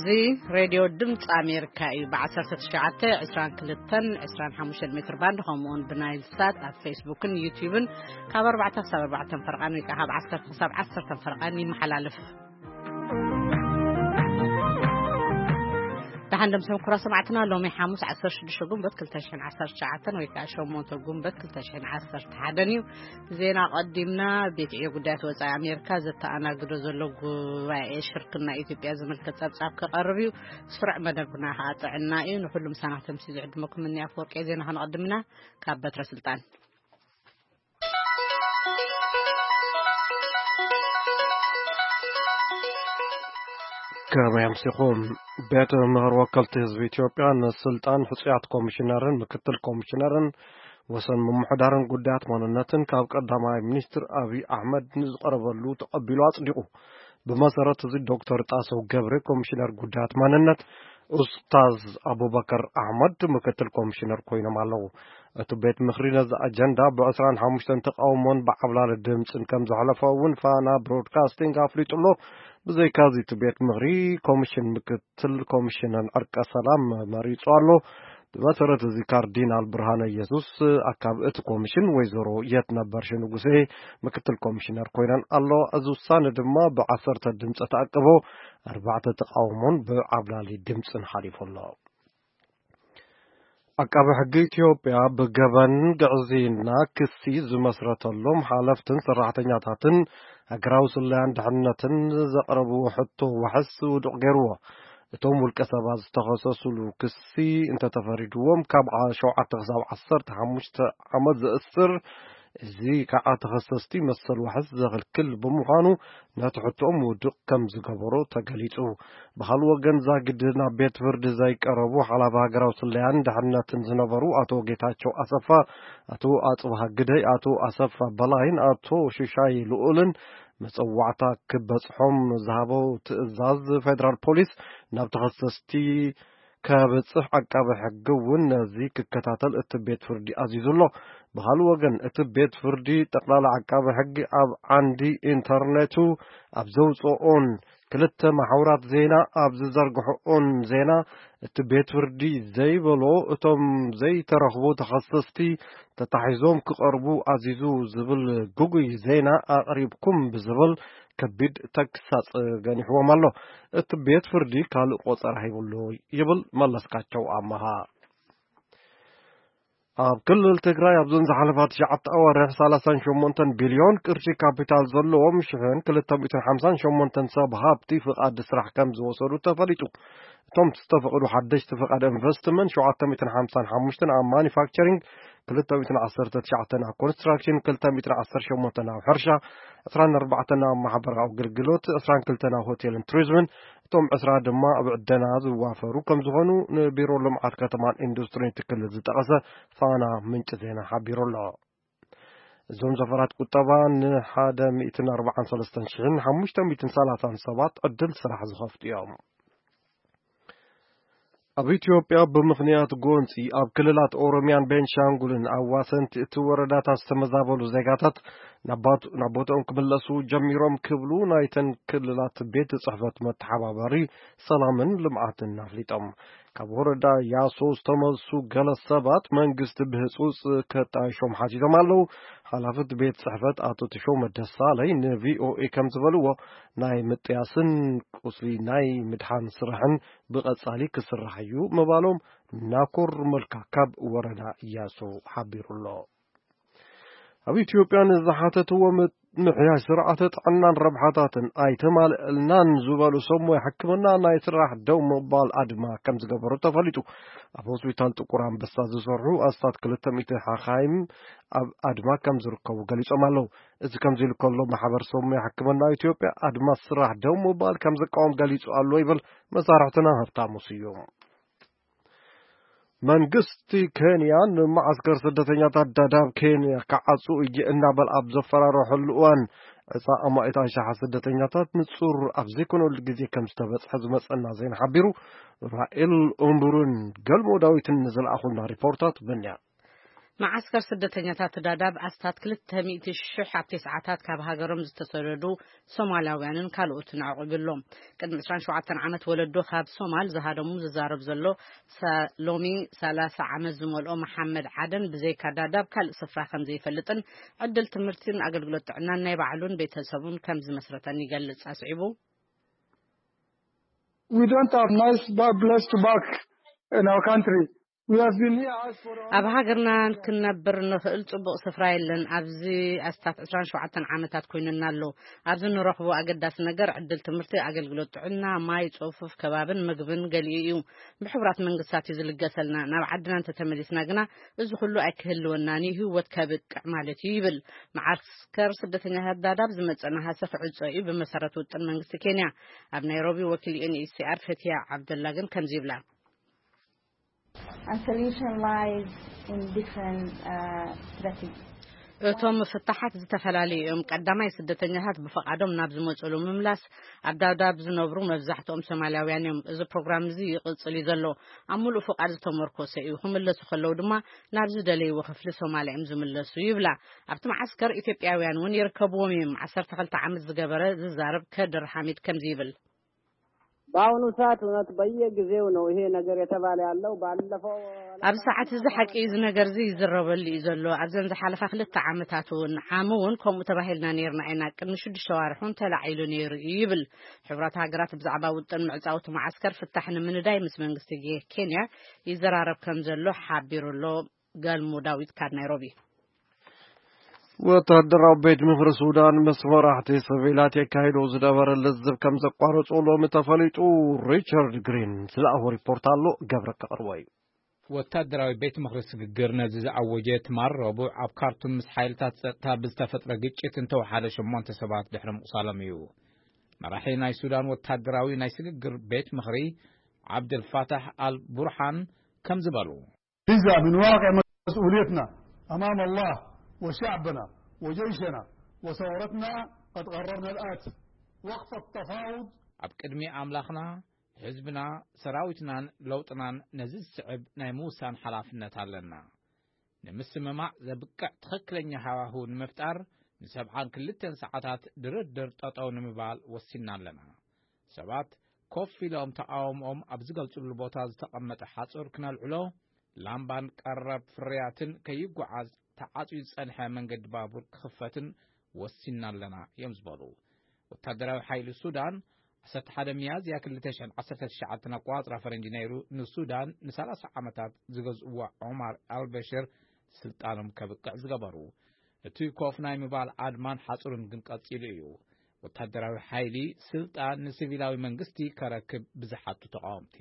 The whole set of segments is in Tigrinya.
እዚ ሬድዮ ድምፂ ኣሜሪካ እዩ። ብ19፣ 22፣ 25 ሜትር ባንድ፣ ከምኡውን ብናይል ሳት ኣብ ፌስቡክን ዩቲዩብን ካብ ኣርባዕተ ክሳብ ኣርባዕተ ፈርቓን ወይ ከዓ ካብ ዓሰርተ ክሳብ ዓሰርተ ፈርቓን ይመሓላለፍ። ደሓን ደምሰም ኩራ ሰማዕትና፣ ሎሚ ሓሙስ ዓሰርተ ሽዱሽተ ጉንበት ክልተ ሽሕን ዓሰርተ ትሽዓተን ወይ ከዓ ሸሞንተ ጉንበት ክልተ ሽሕን ዓሰርተ ሓደን እዩ። ዜና ቀዲምና። ቤት ዕዮ ጉዳያት ወጻኢ ኣሜሪካ ዘተኣናግዶ ዘሎ ጉባኤ ሽርክና ኢትዮጵያ ዝምልከት ጸብጻብ ክቐርብ እዩ። ስሩዕ መደብና ከዓ ጥዕና እዩ። ንኹሉ ምሳና ተምሲ ዝዕድመኩም እኒ ኣፈወርቂ ዜና ከነቐድምና ካብ በትረ ስልጣን። ከመይ ኣምሲኹም? ቤት ምኽሪ ወከልቲ ህዝቢ ኢትዮጵያ ንስልጣን ሕጹያት ኮሚሽነርን ምክትል ኮሚሽነርን ወሰን ምምሕዳርን ጉዳያት ማንነትን ካብ ቀዳማይ ሚኒስትር ኣብይ ኣሕመድ ንዝቐረበሉ ተቐቢሉ ኣጽዲቑ። ብመሰረት እዚ ዶክተር ጣሰው ገብረ ኮሚሽነር ጉዳያት ማንነት፣ ኡስታዝ ኣቡበከር ኣሕመድ ምክትል ኮሚሽነር ኮይኖም ኣለዉ። እቲ ቤት ምኽሪ ነዚ ኣጀንዳ ብ25 ተቃውሞን ብዓብላሊ ድምፅን ከም ዘሕለፎ እውን ፋና ብሮድካስቲንግ ኣፍሊጡ ኣሎ። ብዘይካዚ እቲ ቤት ምኽሪ ኮሚሽን ምክትል ኮሚሽነር ዕርቀ ሰላም መሪጹ ኣሎ። ብመሰረት እዚ ካርዲናል ብርሃነ ኢየሱስ ኣካብ እቲ ኮሚሽን፣ ወይዘሮ የትነበርሽ ንጉሴ ምክትል ኮሚሽነር ኮይነን ኣለዋ። እዚ ውሳነ ድማ ብ10 ድምፂ ተኣቅቦ፣ ኣርባዕተ ተቃውሞን ብዓብላሊ ድምፅን ሓሊፉ ኣሎ። ዓቃቢ ሕጊ ኢትዮጵያ ብገበን ግዕዝይና ክሲ ዝመስረተሎም ሓለፍትን ሰራሕተኛታትን ሃገራዊ ስለያን ድሕነትን ዘቕረብዎ ሕቶ ዋሕስ ውዱቕ ገይርዎ። እቶም ውልቀ ሰባት ዝተኸሰሱሉ ክሲ እንተተፈሪድዎም ካብ ዓ-፣ ሸውዓተ ክሳብ ዓሰርተ ሓሙሽተ ዓመት ዘእስር፣ እዚ ከዓ ተኸሰስቲ መሰል ዋሕስ ዘኽልክል ብምዃኑ ነቲ ሕቶኦም ውዱቕ ከም ዝገበሮ ተገሊጹ። ብኻልእ ወገን ዛግድ ናብ ቤት ፍርዲ ዘይቀረቡ ሓላፊ ሃገራዊ ስለያን ድሕነትን ዝነበሩ ኣቶ ጌታቸው ኣሰፋ፣ ኣቶ ኣጽብሃ ግደይ፣ ኣቶ ኣሰፋ በላይን ኣቶ ሽሻይ ልኡልን መጸዋዕታ ክበጽሖም ዝሃቦ ትእዛዝ ፌደራል ፖሊስ ናብ ተኸሰስቲ ከብጽሕ ዓቃቢ ሕጊ እውን ነዚ ክከታተል እቲ ቤት ፍርዲ ኣዚዙ ኣሎ። ብኻልእ ወገን እቲ ቤት ፍርዲ ጠቕላላ ዓቃቢ ሕጊ ኣብ ዓንዲ ኢንተርኔቱ ኣብ ዘውፅኦን ክልተ ማሕበራት ዜና ኣብ ዝዘርግሕኦን ዜና እቲ ቤት ፍርዲ ዘይበሎ እቶም ዘይተረኽቡ ተኸሰስቲ ተታሒዞም ክቐርቡ ኣዚዙ ዝብል ግጉይ ዜና ኣቕሪብኩም ብዝብል ከቢድ ተግሳጽ ገኒሕዎም ኣሎ። እቲ ቤት ፍርዲ ካልእ ቆጸራ ሂቡሉ ይብል መለስካቸው ኣመሃ። ኣብ ክልል ትግራይ ኣብዞን ዝሓለፋ ትሽዓተ ኣዋርሕ ሰላሳን ሸሞንተን ቢልዮን ቅርሺ ካፒታል ዘለዎም ሽሕን ክልተ ሚእትን ሓምሳን ሸሞንተን ሰብ ሃብቲ ፍቓድ ስራሕ ከም ዝወሰዱ ተፈሊጡ። እቶም ዝተፈቕዱ ሓደሽቲ ፍቓድ ኢንቨስትመንት ሸውዓተ ሚእትን ሓምሳን ሓሙሽተን ኣብ ማኒፋክቸሪንግ፣ ክልተ ሚእትን ዓሰርተ ትሽዓተን ኣብ ኮንስትራክሽን፣ ክልተ ሚእትን ዓሰርተ ሸሞንተን ኣብ ሕርሻ፣ ዕስራን ኣርባዕተን ኣብ ማሕበራዊ ኣገልግሎት፣ ዕስራን ክልተን ኣብ ሆቴልን ቱሪዝምን፣ እቶም ዕስራ ድማ ኣብ ዕደና ዝዋፈሩ ከም ዝኾኑ ንቢሮ ልምዓት ከተማን ኢንዱስትሪን እቲ ክልል ዝጠቐሰ ፋና ምንጪ ዜና ሓቢሩ ኣሎ። እዞም ዘፈራት ቁጠባ ንሓደ ሚእትን ኣርባዓን ሰለስተን ሽሕን ሓሙሽተ ሚእትን ሰላሳን ሰባት ዕድል ስራሕ ዝኸፍቱ እዮም። ኣብ ኢትዮጵያ ብምኽንያት ጎንፂ ኣብ ክልላት ኦሮሚያን ቤንሻንጉልን ኣዋሰንቲ እቲ ወረዳታት ዝተመዛበሉ ዜጋታት ናብ ባት-፣ ናብ ቦታኦም ክምለሱ ጀሚሮም ክብሉ ናይተን ክልላት ቤት ጽሕፈት መተሓባበሪ ሰላምን ልምዓትን ኣፍሊጦም። ካብ ወረዳ ያሶ ዝተመልሱ ገለ ሰባት መንግስቲ ብህጹጽ ከጣይሾም ሓቲቶም ኣለዉ። ሓላፊ እቲ ቤት ጽሕፈት ኣቶ ተሾመ ደሳለይ ንቪኦኤ ከም ዝበልዎ፣ ናይ ምጥያስን ቁስሊ ናይ ምድሓን ስራሕን ብቐጻሊ ክስራሕ እዩ ምባሎም ናኮር መልካ ካብ ወረዳ ያሶ ሓቢሩ ኣሎ። ኣብ ኢትዮጵያ ንዝሓተትዎ ምምሕያሽ ስርዓተ ጥዕናን ረብሓታትን ኣይተማልእልናን ዝበሉ ሰብ ሞያ ሕክምና ናይ ስራሕ ደው ምባል ኣድማ ከም ዝገበሩ ተፈሊጡ። ኣብ ሆስፒታል ጥቁር ኣንበሳ ዝሰርሑ ኣስታት ክልተ ሚእቲ ሓኻይም ኣብ ኣድማ ከም ዝርከቡ ገሊጾም ኣለዉ። እዚ ከምዚ ኢሉ ከሎ፣ ማሕበር ሰብ ሞያ ሕክምና ኢትዮጵያ ኣድማ ስራሕ ደው ምባል ከም ዝቃወም ገሊጹ ኣሎ ይብል መሳርሕትና ሃብታሙ ስዩም። መንግስቲ ኬንያ ንመዓስከር ስደተኛታት ዳዳብ ኬንያ ክዓጹ እየ እናበል ኣብ ዘፈራረሐሉ እዋን፣ ዕጻ ኣማኢት ኣሽሓት ስደተኛታት ንጹር ኣብ ዘይኮነሉ ግዜ ከም ዝተበጽሐ ዝመጸና ዜና ሓቢሩ። ራኤል ኡምቡሩን ገልሞ ዳዊትን ንዝለኣኹልና ሪፖርታት በንያ። መዓስከር ስደተኛታት ዳዳብ ኣስታት ክልተ ሚእቲ ሽሕ ኣብቲ ሰዓታት ካብ ሃገሮም ዝተሰደዱ ሶማላውያንን ካልኦትን ኣዕቂቡ ኣሎ። ቅድሚ ዕስራን ሸውዓተን ዓመት ወለዶ ካብ ሶማል ዝሃደሙ ዝዛረብ ዘሎ፣ ሳ-፣ ሎሚ ሰላሳ ዓመት ዝመልኦ መሓመድ ዓደን ብዘይካ ዳዳብ ካልእ ስፍራ ከም ዘይፈልጥን ዕድል ትምህርትን ኣገልግሎት ጥዕናን ናይ ባዕሉን ቤተሰቡን ከም ዝመስረተን ይገልጽ። ኣስዒቡ፣ We don't have nice ba-, place to back in our country. We have been here asked for a ኣብ ሃገርና ክንነብር ንኽእል ጽቡቕ ስፍራ የለን። ኣብዚ ኣስታት ዕስራን ሸውዓተን ዓመታት ኮይኑና ኣሎ። ኣብዚ ንረኽቦ ኣገዳሲ ነገር ዕድል ትምህርቲ፣ ኣገልግሎት ጥዕና፣ ማይ፣ ጽፉፍ ከባብን ምግብን ገሊኡ እዩ። ብሕቡራት መንግስታት እዩ ዝልገሰልና። ናብ ዓድና እንተተመሊስና ግና እዚ ኩሉ ኣይክህልወናን እዩ፣ ህይወት ከብቅዕ ማለት እዩ ይብል። መዓስከር ስደተኛታት ዳዳብ ዝመጸ ነሃሰ ክዕጾ እዩ ብመሰረት ውጥን መንግስቲ ኬንያ። ኣብ ናይሮቢ ወኪል ዩ ኤን ኤች ሲ ኣር ፈትያ ዓብደላ ግን ከምዚ ይብላ። And solution lies in different, uh, strategies. እቶም ፍታሓት ዝተፈላለዩ እዮም። ቀዳማይ፣ ስደተኛታት ብፍቓዶም ናብ ዝመጽሉ ምምላስ። ኣብ ዳዳብ ዝነብሩ መብዛሕትኦም ሶማላውያን እዮም። እዚ ፕሮግራም እዚ ይቕጽል እዩ ዘሎ። ኣብ ምሉእ ፍቓድ ዝተመርኮሰ እዩ። ክምለሱ ከለዉ ድማ ናብ ዝደለይዎ ክፍሊ ሶማልያ እዮም ዝምለሱ ይብላ። ኣብቲ መዓስከር ኢትዮጵያውያን እውን ይርከብዎም እዮም። ዓሰርተ ክልተ ዓመት ዝገበረ ዝዛረብ ከድር ሓሚድ ከምዚ ይብል። በአሁኑ ሰዓት እውነት በየጊዜው ነው ይሄ ነገር የተባለ ያለው። ባለፈው ኣብዚ ሰዓት እዚ ሓቂ እዩ፣ እዚ ነገር እዚ ይዝረበሉ እዩ ዘሎ። ኣብዘን ዝሓለፋ ክልተ ዓመታት እውን፣ ዓሚ እውን ከምኡ ተባሂልና ነይርና ኢና። ቅድሚ ሽዱሽተ ዋርሕ እውን ተላዒሉ ነይሩ እዩ ይብል። ሕቡራት ሃገራት ብዛዕባ ውጥን ምዕጻው እቲ መዓስከር ፍታሕ ንምንዳይ ምስ መንግስቲ ጌ-፣ ኬንያ ይዘራረብ ከም ዘሎ ሓቢሩ ኣሎ። ገልሙ ዳዊት ካብ ናይሮቢ። ወታደራዊ ቤት ምኽሪ ሱዳን ምስ መራሕቲ ሲቪላት የካይዶ ዝነበረ ልዝብ ከም ዘቋረጾ ሎሚ ተፈሊጡ። ሪቻርድ ግሪን ዝለኣኾ ሪፖርት ኣሎ፣ ገብረ ከቕርቦ እዩ። ወታደራዊ ቤት ምኽሪ ስግግር ነዚ ዝኣወጀ ትማል ረቡዕ ኣብ ካርቱም ምስ ሓይልታት ጸጥታ ብዝተፈጥረ ግጭት እንተወሓደ ሸሞንተ ሰባት ድሕሪ ምቑሳሎም እዩ። መራሒ ናይ ሱዳን ወታደራዊ ናይ ስግግር ቤት ምኽሪ ዓብደልፋታሕ ኣል ቡርሓን ከም ዝበሉ፣ هذا من واقع مسؤوليتنا أمام الله وشعبنا وجيشنا وثورتنا قد قررنا الآتي: وقف التفاوض. ኣብ ቅድሚ ኣምላኽና፣ ህዝብና፣ ሰራዊትናን ለውጥናን ነዚ ዝስዕብ ናይ ምውሳን ሓላፍነት ኣለና። ንምስምማዕ ዘብቅዕ ትኽክለኛ ሃዋህው ንምፍጣር ንሰብዓን ክልተን ሰዓታት ድርድር ጠጠው ንምባል ወሲንና ኣለና። ሰባት ኮፍ ኢሎም ተቓውሞኦም ኣብ ዝገልጽሉ ቦታ ዝተቐመጠ ሓጹር ክነልዕሎ፣ ላምባን ቀረብ ፍርያትን ከይጓዓዝ ተዓጽዩ ዝጸንሐ መንገዲ ባቡር ክኽፈትን ወሲንና ኣለና እዮም ዝበሉ። ወታደራዊ ሓይሊ ሱዳን ዓሰርተ ሓደ ሚያዝያ ክልተ ሽሕን ዓሰርተ ትሽዓተን ኣቆጻጽራ ፈረንጂ ነይሩ ንሱዳን ንሰላሳ ዓመታት ዝገዝእዋ ዑማር ኣልበሽር ስልጣኖም ከብቅዕ ዝገበሩ። እቲ ኮፍ ናይ ምባል ኣድማን ሓጹርን ግን ቀጺሉ እዩ። ወታደራዊ ሓይሊ ስልጣን ንሲቪላዊ መንግስቲ ከረክብ ብዝሓቱ ተቓወምቲ።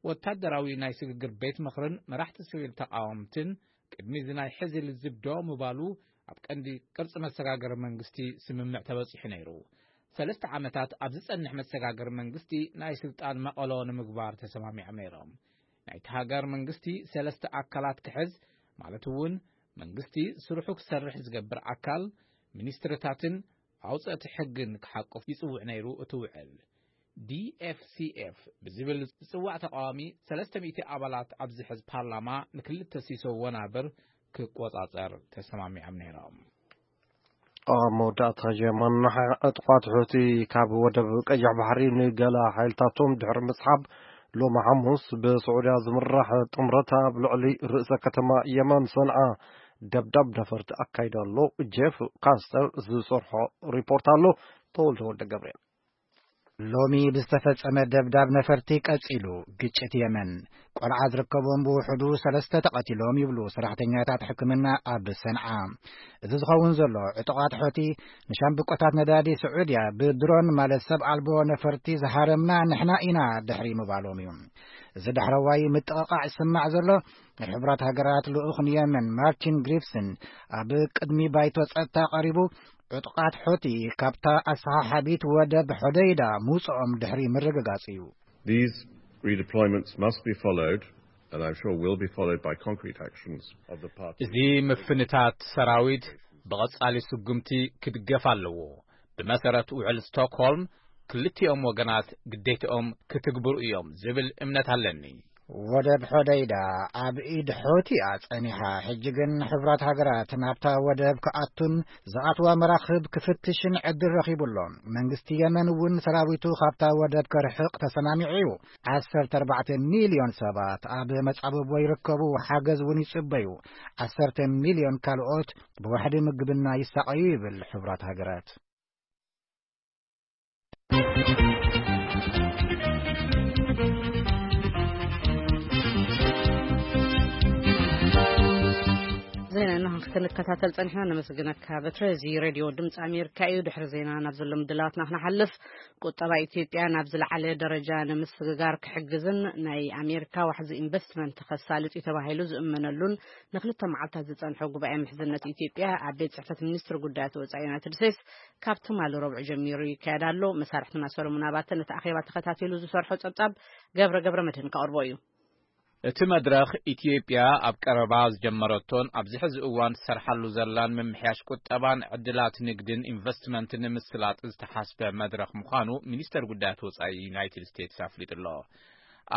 ወታደራዊ ናይ ስግግር ቤት ምኽርን መራሕቲ ሲቪል ተቓወምትን ቅድሚ እዚ ናይ ሕዚ ልዝብ ደው ምባሉ ኣብ ቀንዲ ቅርጺ መሰጋገሪ መንግስቲ ስምምዕ ተበጺሑ ነይሩ። ሰለስተ ዓመታት ኣብ ዝጸንሕ መሰጋገሪ መንግስቲ ናይ ስልጣን መቐሎ ንምግባር ተሰማሚዖም ነይሮም። ናይቲ ሃገር መንግስቲ ሰለስተ ኣካላት ክሕዝ፣ ማለት እውን መንግስቲ ስርሑ ክሰርሕ ዝገብር ኣካል፣ ሚኒስትርታትን ኣውጸእቲ ሕግን ክሓቁፍ ይጽውዕ ነይሩ እቲ ውዕል። ዲ ኤፍ ሲ ኤፍ ብዝብል ዝጽዋዕ ተቃዋሚ ሰለስተ ሚእቲ ኣባላት ኣብ ዝሕዝ ፓርላማ ንክልተ ሲሶ ወናብር ክቆጻጸር ተሰማሚዖም ነይሮም። ኣብ መወዳእታ ጀርመን ዕጡቓት ሑቲ ካብ ወደብ ቀይሕ ባሕሪ ንገለ ሓይልታቶም ድሕሪ ምስሓብ፣ ሎሚ ሓሙስ ብስዑድያ ዝምራሕ ጥምረት ኣብ ልዕሊ ርእሰ ከተማ የመን ሰንዓ ደብዳብ ነፈርቲ ኣካይዱ ኣሎ። ጄፍ ካስተር ዝሰርሖ ሪፖርት ኣሎ። ተወልደ ወልደ ገብርኤል። ሎሚ ብዝተፈጸመ ደብዳብ ነፈርቲ ቀጺሉ ግጭት የመን። ቆልዓ ዝርከቦም ብውሕዱ ሰለስተ ተቐቲሎም ይብሉ ሰራሕተኛታት ሕክምና ኣብ ሰንዓ። እዚ ዝኸውን ዘሎ ዕጡቓት ሖቲ ንሻምብቆታት ነዳዲ ስዑድያ ብድሮን ማለት ሰብ ኣልቦ ነፈርቲ ዝሃረምና ንሕና ኢና ድሕሪ ምባሎም እዩ። እዚ ዳሕረዋይ ምጥቕቓዕ ይስማዕ ዘሎ ናይ ሕቡራት ሃገራት ልኡኽ ንየመን ማርቲን ግሪፍስን ኣብ ቅድሚ ባይቶ ጸጥታ ቀሪቡ ዕጡቓት ሖቲ ካብታ ኣሰሓሓቢት ወደብ ሖደይዳ ምውጽኦም ድሕሪ ምርግጋጽ እዩ። These redeployments must be followed, and I'm sure will be followed by concrete actions of the party. እዚ ምፍንታት ሰራዊት ብቐጻሊ ስጉምቲ ክድገፍ ኣለዎ። ብመሰረት ውዕል ስቶክሆልም ክልቲኦም ወገናት ግዴትኦም ክትግብሩ እዮም ዝብል እምነት ኣለኒ። ወደብ ሖደይዳ ኣብ ኢድ ሖቲ እያ ጸኒሓ። ሕጂ ግን ሕቡራት ሃገራት ናብታ ወደብ ክኣቱን ዝኣትዋ መራኽብ ክፍትሽን ዕድል ረኺቡ ኣሎ። መንግስቲ የመን እውን ሰራዊቱ ካብታ ወደብ ከርሕቕ ተሰማሚዑ እዩ። ዓሰርተ ኣርባዕተ ሚልዮን ሰባት ኣብ መጻብቦ ይርከቡ፣ ሓገዝ እውን ይጽበዩ። ዓሰርተ ሚልዮን ካልኦት ብዋሕዲ ምግብና ይሳቐዩ ይብል ሕቡራት ሃገራት። ዜና እና ክንከታተል ጸኒሕና፣ ነመስግነካ በትረ። እዚ ሬድዮ ድምፂ ኣሜሪካ እዩ። ድሕሪ ዜና ናብ ዘሎ ምድላዋትና ክነሓልፍ፣ ቁጠባ ኢትዮጵያ ናብ ዝለዓለ ደረጃ ንምስግጋር ክሕግዝን ናይ ኣሜሪካ ዋሕዚ ኢንቨስትመንት ከሳልጥ እዩ ተባሂሉ ዝእመነሉን ንክልተ መዓልታት ዝጸንሐ ጉባኤ ምሕዝነት ኢትዮጵያ ኣብ ቤት ጽሕፈት ሚኒስትር ጉዳያት ወጻኢ ዩናይትድ ስቴትስ ካብ ትማሊ ረቡዕ ጀሚሩ ይካየድ ኣሎ። መሳርሕትና ሰሎሞን ኣባተ ነቲ ኣኼባ ተኸታቲሉ ዝሰርሖ ጸብጻብ ገብረ ገብረ መድህን ከቕርቦ እዩ። እቲ መድረኽ ኢትዮጵያ ኣብ ቀረባ ዝጀመረቶን ኣብዚ ሕዚ እዋን ትሰርሓሉ ዘላን ምምሕያሽ ቁጠባን ዕድላት ንግድን ኢንቨስትመንትን ንምስላጥ ዝተሓስበ መድረኽ ምዃኑ ሚኒስተር ጉዳያት ወጻኢ ዩናይትድ ስቴትስ ኣፍሊጡ ኣሎ።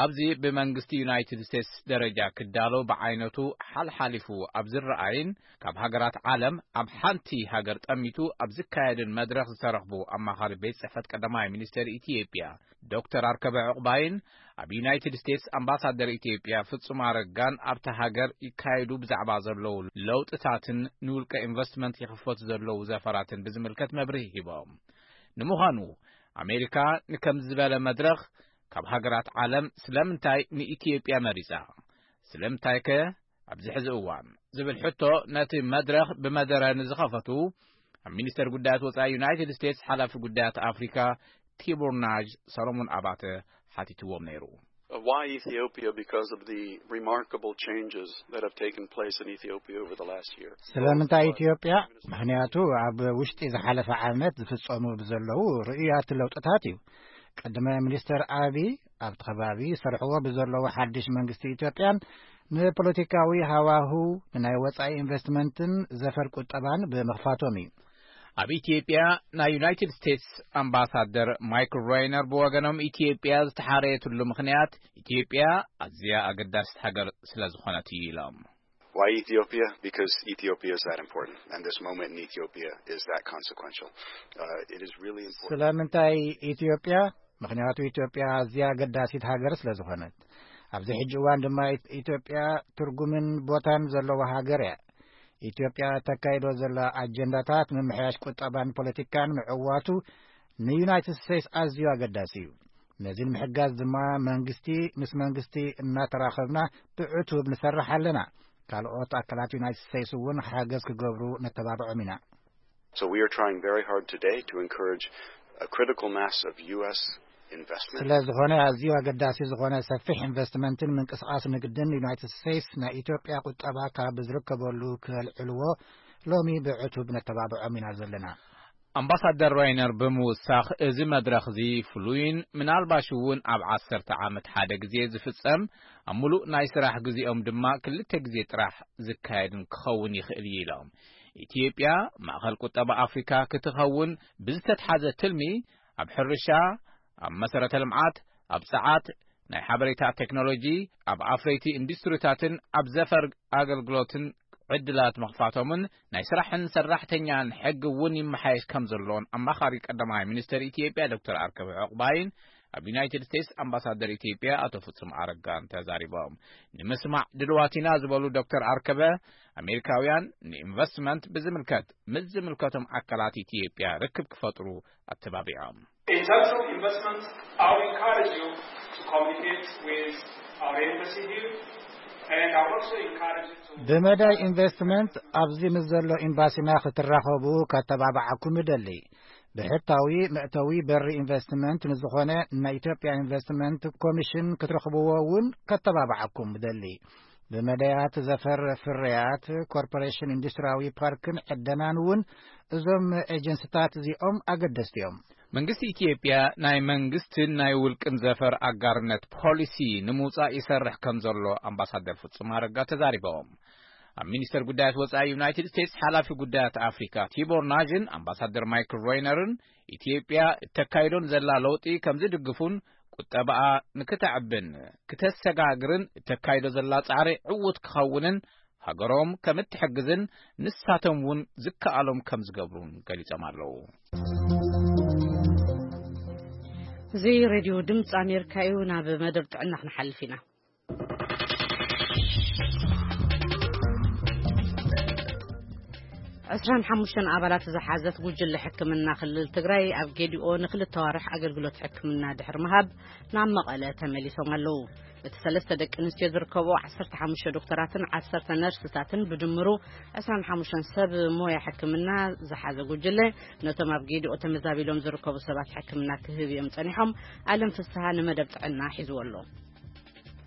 ኣብዚ ብመንግስቲ ዩናይትድ ስቴትስ ደረጃ ክዳሎ ብዓይነቱ ሓልሓሊፉ ኣብ ዝረኣይን ካብ ሃገራት ዓለም ኣብ ሓንቲ ሃገር ጠሚቱ ኣብ ዝካየድን መድረኽ ዝተረኽቡ ኣማኻሪ ቤት ጽሕፈት ቀዳማይ ሚኒስተር ኢትዮጵያ ዶክተር ኣርከበ ዕቑባይን ኣብ ዩናይትድ ስቴትስ ኣምባሳደር ኢትዮጵያ ፍጹም ኣረጋን ኣብታ ሃገር ይካየዱ ብዛዕባ ዘለዉ ለውጥታትን ንውልቀ ኢንቨስትመንት ይኽፈቱ ዘለዉ ዘፈራትን ብዝምልከት መብርሂ ሂቦም። ንምዃኑ ኣሜሪካ ንከምዚ ዝበለ መድረኽ ካብ ሃገራት ዓለም ስለምንታይ ንኢትዮጵያ መሪጻ? ስለምንታይከ ኣብዚ ሕዚ እዋን? ዝብል ሕቶ ነቲ መድረኽ ብመደረ ንዝኸፈቱ ኣብ ሚኒስተር ጉዳያት ወጻኢ ዩናይትድ ስቴትስ ሓላፊ ጉዳያት ኣፍሪካ ቲቦር ናጅ ሰሎሞን ኣባተ ሓቲትዎም ነይሩ። Uh, why Ethiopia? Because of the remarkable changes that have taken place in Ethiopia over the last year. ስለምንታይ ኢትዮጵያ? ምኽንያቱ ኣብ ውሽጢ ዝሓለፈ ዓመት ዝፍጸሙ ብዘለዉ ርኡያት ለውጥታት እዩ። ቀዳማይ ሚኒስተር ኣቢ ኣብቲ ከባቢ ሰርሕዎ ብዘለዉ ሓድሽ መንግስቲ ኢትዮጵያን ንፖለቲካዊ ሃዋሁ ንናይ ወጻኢ ኢንቨስትመንትን ዘፈር ቁጠባን ብምኽፋቶም እዩ። ኣብ ኢትዮጵያ ናይ ዩናይትድ ስቴትስ ኣምባሳደር ማይክል ራይነር ብወገኖም ኢትዮጵያ ዝተሓረየትሉ ምኽንያት ኢትዮጵያ ኣዝያ ኣገዳሲት ሃገር ስለ ዝኾነት እዩ ኢሎም። Why Ethiopia? Because Ethiopia is that important, and this moment in Ethiopia is that consequential. Uh, it is really important. ስለምንታይ ኢትዮጵያ? ምኽንያቱ ኢትዮጵያ ኣዝያ ኣገዳሲት ሃገር ስለ ዝኾነት። ኣብዚ ሕጂ እዋን ድማ ኢት-፣ ኢትዮጵያ ትርጉምን ቦታን ዘለዋ ሃገር እያ። ኢትዮጵያ እተካይዶ ዘላ ኣጀንዳታት ምምሕያሽ ቁጠባን ፖለቲካን ምዕዋቱ ንዩናይትድ ስቴትስ ኣዝዩ ኣገዳሲ እዩ። ነዚ ንምሕጋዝ ድማ መንግስቲ ምስ መንግስቲ እናተራኸብና ብዕቱብ ንሰርሕ ኣለና። ካልኦት ኣካላት ዩናይትድ ስቴትስ እውን ሓገዝ ክገብሩ ነተባብዖም ኢና። So we are trying very hard today to encourage a critical mass of U S investment. ስለ ዝኾነ ኣዝዩ ኣገዳሲ ዝኾነ ሰፊሕ ኢንቨስትመንትን ምንቅስቓስ ንግድን ዩናይትድ ስቴትስ ናይ ኢትዮጵያ ቁጠባ ካብ ዝርከበሉ ከልዕልዎ ሎሚ ብዕቱብ ነተባብዖም ኢና ዘለና። ኣምባሳደር ራይነር ብምውሳኽ፣ እዚ መድረኽ እዚ ፍሉይን ምናልባሽ እውን ኣብ ዓሰርተ ዓመት ሓደ ግዜ ዝፍጸም፣ ኣብ ምሉእ ናይ ስራሕ ግዜኦም ድማ ክልተ ግዜ ጥራሕ ዝካየድን ክኸውን ይኽእል እዩ ኢሎም። ኢትዮጵያ ማእኸል ቁጠባ ኣፍሪካ ክትኸውን ብዝተትሓዘ ትልሚ፣ ኣብ ሕርሻ፣ ኣብ መሰረተ ልምዓት፣ ኣብ ጸዓት፣ ናይ ሓበሬታ ቴክኖሎጂ፣ ኣብ ኣፍረይቲ ኢንዱስትሪታትን ኣብ ዘፈር ኣገልግሎትን ዕድላት ምኽፋቶምን ናይ ስራሕን ሰራሕተኛን ሕጊ እውን ይመሓየሽ ከም ዘሎን ኣማኻሪ ቀዳማይ ሚኒስትር ኢትዮጵያ ዶክተር ኣርከበ ዕቑባይን ኣብ ዩናይትድ ስቴትስ ኣምባሳደር ኢትዮጵያ ኣቶ ፍጹም ኣረጋን ተዛሪቦም። ንምስማዕ ድልዋት ኢና ዝበሉ ዶክተር ኣርከበ፣ ኣሜሪካውያን ንኢንቨስትመንት ብዝምልከት ምስ ዝምልከቶም ኣካላት ኢትዮጵያ ርክብ ክፈጥሩ ኣተባቢዖም። In terms of investments, I would encourage you to communicate with our embassy here, and I would also encourage you to ብመዳይ ኢንቨስትመንት ኣብዚ ምስ ዘሎ ኤምባሲና ክትራኸቡ ከተባብዓኩም እደሊ። ብሕታዊ መእተዊ በሪ ኢንቨስትመንት ንዝኾነ ናይ ኢትዮጵያ ኢንቨስትመንት ኮሚሽን ክትረኽብዎ እውን ከተባብዓኩም እደሊ። ብመዳያት ዘፈር ፍርያት ኮርፖሬሽን ኢንዱስትሪያዊ ፓርክን ዕደናን እውን እዞም ኤጀንስታት እዚኦም ኣገደስቲ እዮም። መንግስቲ ኢትዮጵያ ናይ መንግስትን ናይ ውልቅን ዘፈር ኣጋርነት ፖሊሲ ንምውጻእ ይሰርሕ ከም ዘሎ ኣምባሳደር ፍጹም ኣረጋ ተዛሪቦም። ኣብ ሚኒስተር ጉዳያት ወጻኢ ዩናይትድ ስቴትስ ሓላፊ ጉዳያት ኣፍሪካ ቲቦር ናዥን ኣምባሳደር ማይክል ሮይነርን ኢትዮጵያ እተካይዶን ዘላ ለውጢ ከም ዝድግፉን ቁጠባኣ ንክተዕብን ክተሰጋግርን እተካይዶ ዘላ ጻዕሪ ዕዉት ክኸውንን ሃገሮም ከም እትሕግዝን ንሳቶም እውን ዝከኣሎም ከም ዝገብሩን ገሊጾም ኣለዉ። እዚ ሬድዮ ድምፂ ኣሜሪካ እዩ። ናብ መደብ ጥዕና ክንሓልፍ ኢና። ዕስራን ሓሙሽተን ኣባላት ዝሓዘት ጉጅለ ሕክምና ክልል ትግራይ ኣብ ጌዲኦ ንክልተ ዋርሕ ኣገልግሎት ሕክምና ድሕሪ ምሃብ ናብ መቐለ ተመሊሶም ኣለዉ። እቲ ሰለስተ ደቂ ኣንስትዮ ዝርከቦ ዓሰርተ ሓሙሽተ ዶክተራትን ዓሰርተ ነርስታትን ብድምሩ ዕስራን ሓሙሽተን ሰብ ሞያ ሕክምና ዝሓዘ ጉጅለ ነቶም ኣብ ጌዲኦ ተመዛቢሎም ዝርከቡ ሰባት ሕክምና ክህብ እዮም ጸኒሖም። ኣለም ፍስሃ ንመደብ ጥዕና ሒዝዎ ኣሎ።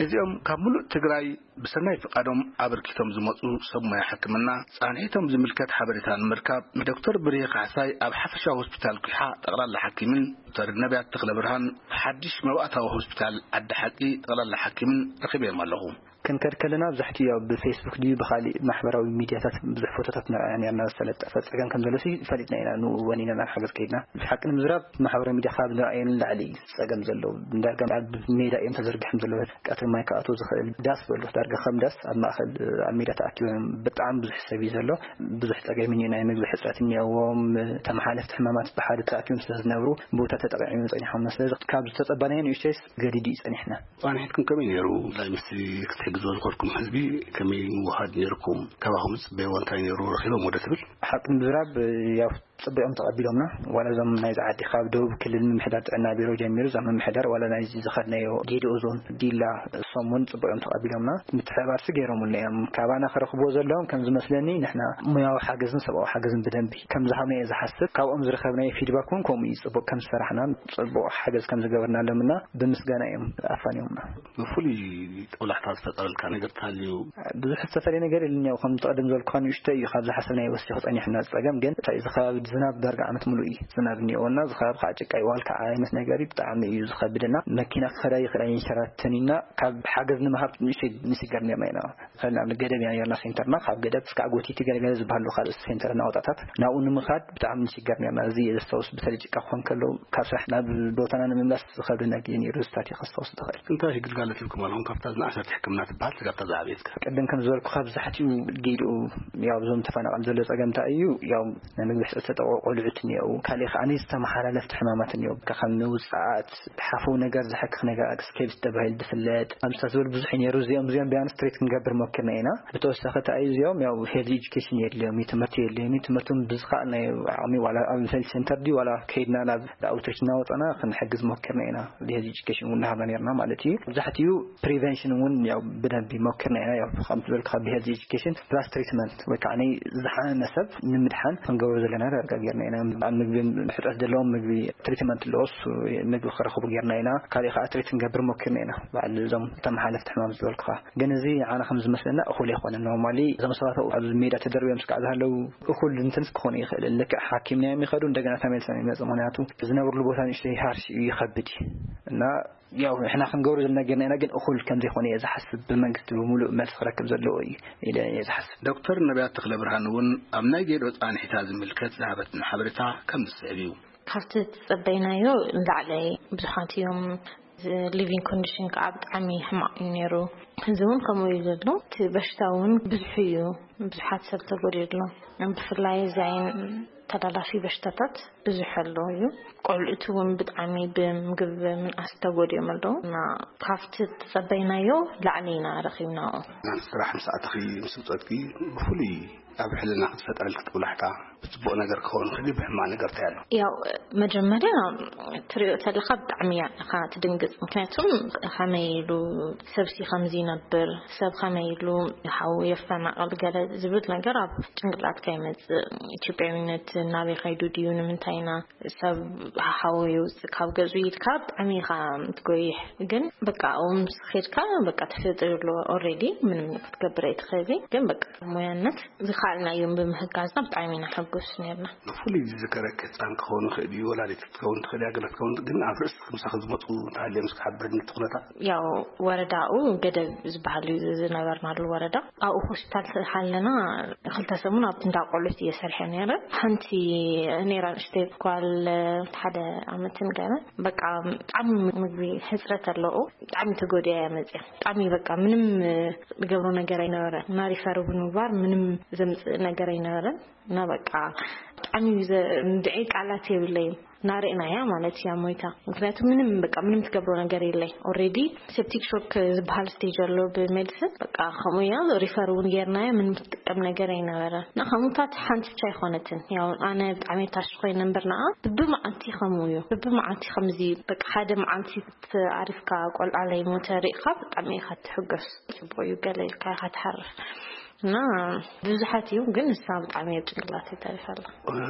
እዚኦም ካብ ሙሉእ ትግራይ ብሰናይ ፍቓዶም ኣበርኪቶም ዝመጹ ሰብ ሞያ ሕክምና ጻንሒቶም ዝምልከት ሓበሬታ ንምርካብ ንዶክተር ብርሄ ካሕሳይ ኣብ ሓፈሻዊ ሆስፒታል ኲሓ ጠቕላላ ሓኪምን ዶክተር ነቢያት ተኽለ ብርሃን ሓድሽ መባእታዊ ሆስፒታል ዓዲ ሓቂ ጠቕላላ ሓኪምን ረኺበዮም ኣለኹ። ክንከድ ከለና ብዛሕቲ ያው ብፌስቡክ ድዩ ብኻሊእ ማሕበራዊ ሚዲያታት ብዙሕ ፎቶታት ንርኣያ ነርና። ዝተለጠፈ ጸገም ከም ዘሎ ሲ ፈሊጥና ኢና። ንኡ ወኒና ናብ ሓገዝ ከይድና። ብሓቂ ንምዝራብ ማሕበራዊ ሚዲያ ካብ ንርኣየን ንላዕሊ እዩ ጸገም ዘሎ። ዳርጋ ኣብ ሜዳ እዮም ተዘርጊሖም ዘለዉ። ቀትሪ ማይ ክኣትዎ ዝኽእል ዳስ በሉ። ዳርጋ ከም ዳስ ኣብ ማእከል ኣብ ሜዳ ተኣኪቦም ብጣዕሚ ብዙሕ ሰብ እዩ ዘሎ። ብዙሕ ጸገም እዩ። ናይ ምግቢ ሕጽረት እኒኦዎም። ተመሓለፍቲ ሕማማት ብሓደ ተኣኪቦም ስለ ዝነብሩ ቦታ ተጠቂዖም ጸኒሖም። ስለዚ ካብ ዝተጸበናዮ ንእሽተይስ ገዲዱ እዩ ጸኒሕና። ጻንሒትኩም ከመይ ነይሩ? እንታይ ምስቲ ክትሕግዝዎ ዝኸድኩም ህዝቢ ከመይ ምውሃድ ነይርኩም? ካባኹም ዝጽበይዎ እንታይ ነይሩ? ረኺቦም ወደ ትብል? ሓቂ ንምዝራብ ያው ጽቡቕ እዮም ተቐቢሎምና። ዋላ እዞም ናይዚ ዓዲ ካብ ደቡብ ክልል ምምሕዳር ጥዕና ቢሮ ጀሚሩ እዛ ምምሕዳር ዋላ ናይዚ ዝኸድናዮ ጌዲኦ ዞን ዲላ እሶም እውን ጽቡቕ እዮም ተቐቢሎምና። ምትሕብባርሲ ገይሮምልና እዮም። ካባና ክረኽብዎ ዘለዎም ከም ዝመስለኒ ንሕና ሙያዊ ሓገዝን ሰብኣዊ ሓገዝን ብደንቢ ከም ዝሃብና እየ ዝሓስብ። ካብኦም ዝረኸብናዮ ፊድባክ እውን ከምኡ እዩ። ጽቡቕ ከም ዝሰራሕናን ጽቡቕ ሓገዝ ከም ዝገበርናሎምና ብምስጋና እዮም ኣፋንዮምና። ብፍሉይ ጦብላሕታ ዝፈጠረልካ ነገር ተሃልዩ? ብዙሕ ዝተፈለየ ነገር የለን። ያው ከም ተቐደም ዝበልኩኻ ንእሽቶ እዩ። ካብ ዝሓሰብናዮ ወሲኹ ጸኒሕና ዝጸገም ግን እንታይ እዚ ከባቢ ዝናብ ዳርጋ ዓመት ሙሉእ እዩ ዝናብ እኒኦና። እዚ ከባቢ ከዓ ጭቃ ይዋል ከዓ ዓይነት ነገር እዩ። ብጣዕሚ እዩ ዝኸብደና። መኪና ክኸዳ ይኽእል ኣይንሸራተን ኢና። ካብ ሓገዝ ንምሃብ ንእሽተይ ንስገር ነርና ኢና። ንኣብነት ገደብ ኢና ነርና ሴንተርና። ካብ ገደብ እስካዕ ጎቲቲ ገለገለ ዝበሃሉ ካልእ ሴንተር እናወጣታት ናብኡ ንምኻድ ብጣዕሚ ንስገር ነርና። እዚ እየ ዘስታውስ። በተለይ ጭቃ ክኾን ከሎ ካብ ስራሕ ናብ ቦታና ንምምላስ ዝኸብደና ግዜ ነይሩ። ዝታት እየ ከስታውስ ዝኽእል። እንታይ ግልጋሎት ሂብኩም ኣለኹም ካብታ ዝነኣሰት ሕክምና ትበሃል ስጋብ እታ ዝዓበየት ከ? ቅድም ከም ዝበልኩ ካብ ዛሕቲኡ ጌድኡ ያው እዞም ተፈናቐል ዘሎ ጸገም እንታይ እዩ? ያው ናይ ምግቢ ሕጽረት ተጠቕዑ ቆልዑት እኒአው። ካልእ ከኣ ዝተመሓላለፍቲ ሕማማት እኒአው። ከም ምውጻኣት፣ ሓፈው ነገር ዝሕክኽ ነገር ኣክስኬብስ ተባሂሉ ዝፍለጥ ኣምስታት ዝበሉ ብዙሕ እዩ ነይሩ። እዚኦም እዚኦም ቢያንስ ትሪት ክንገብር ሞኪርና ኢና። ብተወሳኺ እንታይ እዩ እዚኦም ያው ሄልዝ ኤጁኬሽን የድልዮም እዩ፣ ትምህርቲ የድልዮም እዩ። ትምህርቱን ብዝኸኣልናዮ ዓቕሚ ዋላ ኣብ ሄልዝ ሴንተር ድዩ ዋላ ከይድና ናብ ኣውትሪች እናወፀና ክንሕግዝ ሞኪርና ኢና። ብሄልዝ ኤጁኬሽን እውን እናሃብና ነርና ማለት እዩ። መብዛሕትኡ ፕሪቨንሽን እውን ያው ብደንቢ ሞኪርና ኢና። ያው ከም ዝበልኩ ካብ ብሄልዝ ኤጁኬሽን ፕላስ ትሪትመንት ወይ ከዓ ናይ ዝሓመመ ሰብ ንምድሓን ክንገብሮ ዘለና ዳርጋ ጌርና ኢና። ኣብ ምግቢ ሕፅረት ዘለዎም ምግቢ ትሪትመንት ኣለዎ፣ እሱ ምግቢ ክረኽቡ ጌርና ኢና። ካልእ ከዓ ትሪት ክንገብር ሞኪርና ኢና። በዓል እዞም ተመሓለፍቲ ሕማም ዝበልኩኻ ግን እዚ ዓና ከም ዝመስለና እኹል ኣይኮነን። ኖርማሊ እዞም ሰባት ኣብኡ ኣብ ሜዳ ተደርብዮም ስካዕ ዝሃለዉ እኹል እንትንስ ክኾኑ ይኽእል። ልክዕ ሓኪም ናዮም ይኸዱ እንደገና ተመልሶም ይመፁ። ምክንያቱ ዝነብርሉ ቦታ ንእሽተይ ሃርሽ እዩ፣ ይኸብድ እዩ እና ያው ንሕና ክንገብሮ ዘለና ጌርና ኢና፣ ግን እኹል ከም ዘይኮነ እየ ዝሓስብ። ብመንግስቲ ብምሉእ መልሲ ክረክብ ዘለዎ እዩ ኢለ እየ ዝሓስብ። ዶክተር ነቢያት ተኽለ ብርሃን እውን ኣብ ናይ ጌዶ ጻንሒታ ዝምልከት ዝሃበትና ሓበሬታ ከም ዝስዕብ እዩ። ካብቲ ዝጸበይናዮ ንላዕሊ ብዙሓት እዮም። ሊቪንግ ኮንዲሽን ከዓ ብጣዕሚ ሕማቕ እዩ ነይሩ። እዚ እውን ከምኡ እዩ ዘሎ። እቲ በሽታ እውን ብዙሕ እዩ። ብዙሓት ሰብ ተጎዲኡ ኣሎ። ብፍላይ እዚ ዓይን ተላላፊ በሽታታት ብዙሕ ኣሎ እዩ። ቆልዑት እውን ብጣዕሚ ብምግብ ምንኣስ ተጎዲኦም ኣለዉ እና ካብቲ ዝጸበይናዮ ላዕሊ ኢና ረኺብናኦ። ስራሕ ምስ ኣተኺ ምስ ውጸትኪ ብፍሉይ ኣብ ሕልና ክትፈጠረልኪ ጥብላሕታ ብጽቡቕ ነገር ክኸውን ክዲ ብሕማቕ ነገር እንታይ ኣሎ? ያው መጀመርያ ትሪኦ ተለኻ ብጣዕሚ እያ ኢኻ ትድንግጽ። ምክንያቱም ከመይ ኢሉ ሰብሲ ከምዚ ይነብር፣ ሰብ ከመይ ኢሉ ሓው የፈናቕል ገለ ዝብል ነገር ኣብ ጭንቅላትካ ይመጽእ። ኢትዮጵያዊነት ናበይ ከይዱ ድዩ? ንምንታይ ኢና ሰብ ሓው የውጽእ ካብ ገዝኡ ኢልካ ብጣዕሚ ኢኻ ትጎይሕ። ግን በቃ ኣብኡ ምስ ኸድካ በቃ ተፈጢሩ ኣሎ ኦልሬዲ ምንም ክትገብር ኣይትኽእልን። ግን በቃ ሞያነት እዚ ኣልናዮም ብምህጋዝና ብጣዕሚ ኢና ሕጉስ ነርና። ብፍሉይ ዝዝከረክ ህፃን ክኸውን ይኽእል እዩ፣ ወላዲት ክትከውን ትኽእል እያ፣ ገለ ክትከውን፣ ግን ኣብ ርእሲ ምሳኺ ዝመፁ እንተሃልዮም እስኪ ሓብርኒ እቲ ኩነታት። ያው ወረዳኡ ገደብ ዝበሃል እዩ ዝነበርናሉ ወረዳ። ኣብኡ ሆስፒታል ስለሓለና ክልተ ሰሙን ኣብቲ እንዳ ቆልዑት እየ ሰሪሐ ነይረ። ሓንቲ ነይራ ንእሽተይ ጓል ሓደ ዓመትን ገለ። በቃ ብጣዕሚ ምግቢ ሕፅረት ኣለዎ። ብጣዕሚ ተጎዲኣ እያ መፅያ። ብጣዕሚ በቃ ምንም ዝገብሮ ነገር ኣይነበረ። እና ሪፈር እውን ምግባር ምንም ዘምፅእ ነገር ኣይነበረን። እና በቃ ብጣዕሚ እዩ ዘ-፣ እንድዒ ቃላት የብለይን። ናርእና እያ ማለት እያ ሞይታ። ምክንያቱ ምንም በቃ ምንም ትገብሮ ነገር የለይ። ኦልሬዲ ሴፕቲክ ሾክ ዝበሃል ስቴጅ ኣሎ ብሜዲሲን። በቃ ከምኡ እያ ሪፈር እውን ጌርናያ ምንም ትጥቀም ነገር ኣይነበረ። እና ከምኡታት ሓንቲ ብቻ ኣይኮነትን። ያው ኣነ ብጣዕሚ ታሽ ኮይነ እምበር ንዓ ብብመዓልቲ ከምኡ እዩ። ብብመዓልቲ ከምዚ በቃ ሓደ መዓልቲ ኣሪፍካ ቆልዓ ለይሞተ ርኢኻ ብጣዕሚ ኢኻ ትሕገስ። ጽቡቕ እዩ ገለ ኢልካ ኢኻ ትሓርፍ። እና ብዙሓት እዩ ግን ንሳ ብጣዕሚ ኣብ ጭንቅላተይ ተሪፋ ኣላ።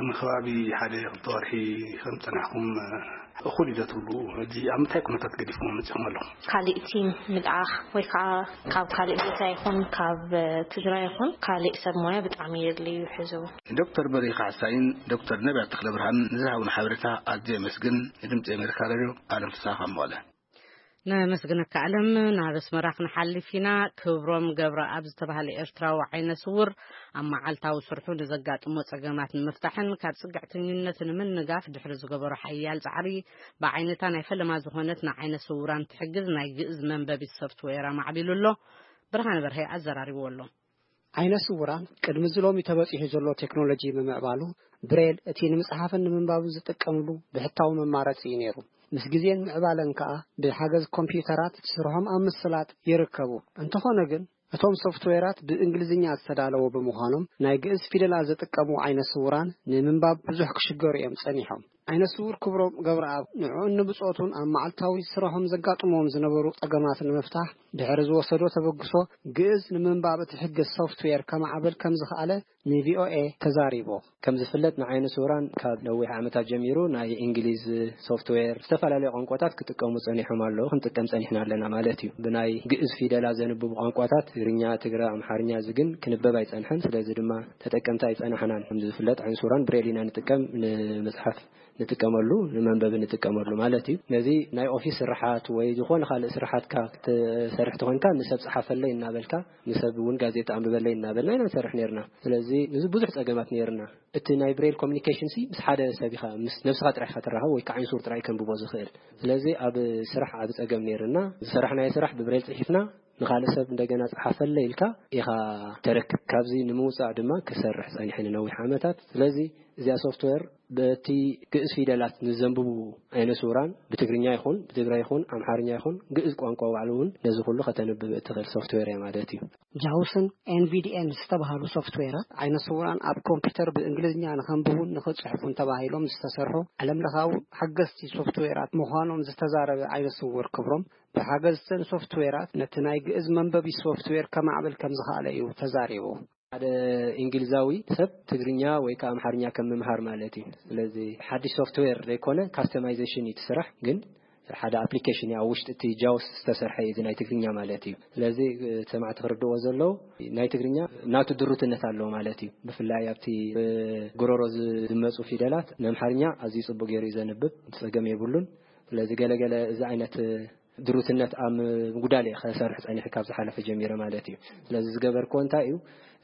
ንከባቢ ሓደ ክልተ ወርሒ ከም ጸናሕኩም እኹል እዩ ዶ ትብሉ? ሕጂ ኣብ ምንታይ ኩነታት ገዲፍኩም መጺኹም ኣለኹም? ካሊእ ቲም ምልኣኽ ወይ ከዓ ካብ ካሊእ ቦታ ይኹን ካብ ትግራይ ይኹን ካሊእ ሰብ ሞያ ብጣዕሚ የድልዩ ሕዚ እውን። ዶክተር በሪኽ ሓሳይን ዶክተር ነቢያት ተኽለብርሃን ንዝሃቡና ሓበሬታ ኣዝየ የመስግን። ንድምፂ ኣሜሪካ ሬድዮ ኣለም ፍስሃ ካብ መቐለ። ነመስግነካ ኣለም። ናብ ኣስመራ ክንሓልፍ ኢና። ክብሮም ገብረኣብ ዝተባህለ ኤርትራዊ ዓይነ ስውር ኣብ መዓልታዊ ስርሑ ንዘጋጥሞ ጸገማት ንምፍታሕን ካብ ጽግዕተኝነት ንምንጋፍ ድሕሪ ዝገበሮ ሓያል ጻዕሪ ብዓይነታ ናይ ፈለማ ዝኾነት ንዓይነ ስውራን ትሕግዝ ናይ ግእዝ መንበቢት ሶፍትዌር ኣማዕቢሉ ኣሎ። ብርሃነ በርሀ ኣዘራሪብዎ ኣሎ። ዓይነ ስውራን ቅድሚ እዚ ሎሚ ተበጺሑ ዘሎ ቴክኖሎጂ ብምዕባሉ ብሬል እቲ ንምጽሓፍን ንምንባብን ዝጥቀምሉ ብሕታዊ መማረጺ እዩ ነይሩ። ምስ ግዜን ምዕባለን ከኣ ብሓገዝ ኮምፒውተራት ስርሖም ኣብ ምስላጥ ይርከቡ። እንተኾነ ግን እቶም ሶፍትዌራት ብእንግሊዝኛ ዝተዳለዉ ብምዃኖም ናይ ግእዝ ፊደላት ዝጥቀሙ ዓይነ ስውራን ንምንባብ ብዙሕ ክሽገሩ እዮም ጸኒሖም። ዓይነ ስውር ክብሮም ገብረኣብ ንዕኡን ንብጾቱን ኣብ መዓልታዊ ስርሖም ዘጋጥሞም ዝነበሩ ጸገማት ንምፍታሕ ድሕሪ ዝወሰዶ ተበግሶ ግእዝ ንምንባብ እትሕግዝ ሶፍትዌር ከማዕብል ከም ዝኸኣለ ንቪኦኤ ተዛሪቡ። ከም ዝፍለጥ ንዓይነ ስውራን ካብ ነዊሕ ዓመታት ጀሚሩ ናይ እንግሊዝ ሶፍትዌር ዝተፈላለዩ ቋንቋታት ክጥቀሙ ጸኒሖም ኣለዉ፣ ክንጥቀም ጸኒሕና ኣለና ማለት እዩ። ብናይ ግእዝ ፊደላት ዘንብቡ ቋንቋታት ትግርኛ፣ ትግረ፣ ኣምሓርኛ እዚ ግን ክንበብ ኣይጸንሐን። ስለዚ ድማ ተጠቀምቲ ኣይጸናሕናን። ከም ዝፍለጥ ዓይነ ስውራን ብሬል ኢና ንጥቀም፣ ንምጽሓፍ ንጥቀመሉ፣ ንመንበቢ ንጥቀመሉ ማለት እዩ። ነዚ ናይ ኦፊስ ስራሓት ወይ ዝኾነ ካልእ ስራሓትካ ክትሰርሕ ተኾንካ ንሰብ ጸሓፈለይ እናበልካ ንሰብ እውን ጋዜጣ ኣንብበለይ እናበልና ኢና ንሰርሕ ነርና። ስለዚ ንዚ ብዙሕ ጸገማት ነርና። እቲ ናይ ብሬል ኮሚኒኬሽን ሲ ምስ ሓደ ሰብ ኢኻ፣ ምስ ነብስኻ ጥራሕ ኢኻ ትራኸብ ወይ ከዓ ዓይነ ስውር ጥራሕ ከንብቦ ዝኽእል። ስለዚ ኣብ ስራሕ ዓቢ ጸገም ነርና። ዝሰራሕናዮ ስራሕ ብብሬል ጽሒፍና ንኻልእ ሰብ እንደገና ጸሓፈለይ ኢልካ ኢኻ ተረክብ። ካብዚ ንምውጻእ ድማ ክሰርሕ ጸኒሐ ንነዊሕ ዓመታት። ስለዚ እዚኣ ሶፍትዌር በቲ ግእዝ ፊደላት ንዘንብቡ ዓይነ ስውራን ብትግርኛ ይኹን ብትግራይ ይኹን ኣምሓርኛ ይኹን ግእዝ ቋንቋ ባዕሉ እውን ነዚ ኩሉ ከተንብብ እትኽእል ሶፍትዌር እያ ማለት እዩ። ጃውስን ኤንቪዲኤን ዝተባህሉ ሶፍትዌራት ዓይነ ስውራን ኣብ ኮምፒውተር ብእንግሊዝኛ ንኸንብቡን ንኽጽሕፉን ተባሂሎም ዝተሰርሑ ዓለም ለኻዊ ሓገዝቲ ሶፍትዌራት ምዃኖም ዝተዛረበ ዓይነ ስውር ክብሮም ብሓገዝተን ሶፍትዌራት ነቲ ናይ ግእዝ መንበቢ ሶፍትዌር ከማዕብል ከም ዝኸኣለ እዩ ተዛሪቡ። ሓደ እንግሊዛዊ ሰብ ትግርኛ ወይ ከዓ ኣምሓርኛ ከም ምምሃር ማለት እዩ። ስለዚ ሓድሽ ሶፍትዌር ዘይኮነ ካስተማይዜሽን እዩ እቲ ስራሕ፣ ግን ሓደ ኣፕሊኬሽን እዩ ኣብ ውሽጢ እቲ ጃውስ ዝተሰርሐ እዩ፣ እዚ ናይ ትግርኛ ማለት እዩ። ስለዚ ሰማዕቲ ክርድዎ ዘለዉ ናይ ትግርኛ ናቱ ድሩትነት ኣለዎ ማለት እዩ። ብፍላይ ኣብቲ ብጉሮሮ ዝመፁ ፊደላት ንኣምሓርኛ ኣዝዩ ፅቡቅ ገይሩ እዩ ዘንብብ፣ ጸገም የብሉን። ስለዚ ገለገለ እዚ ዓይነት ድሩትነት ኣብ ምጉዳል እየ ከሰርሕ ጸኒሐ ካብ ዝሓለፈ ጀሚረ ማለት እዩ። ስለዚ ዝገበርክዎ እንታይ እዩ?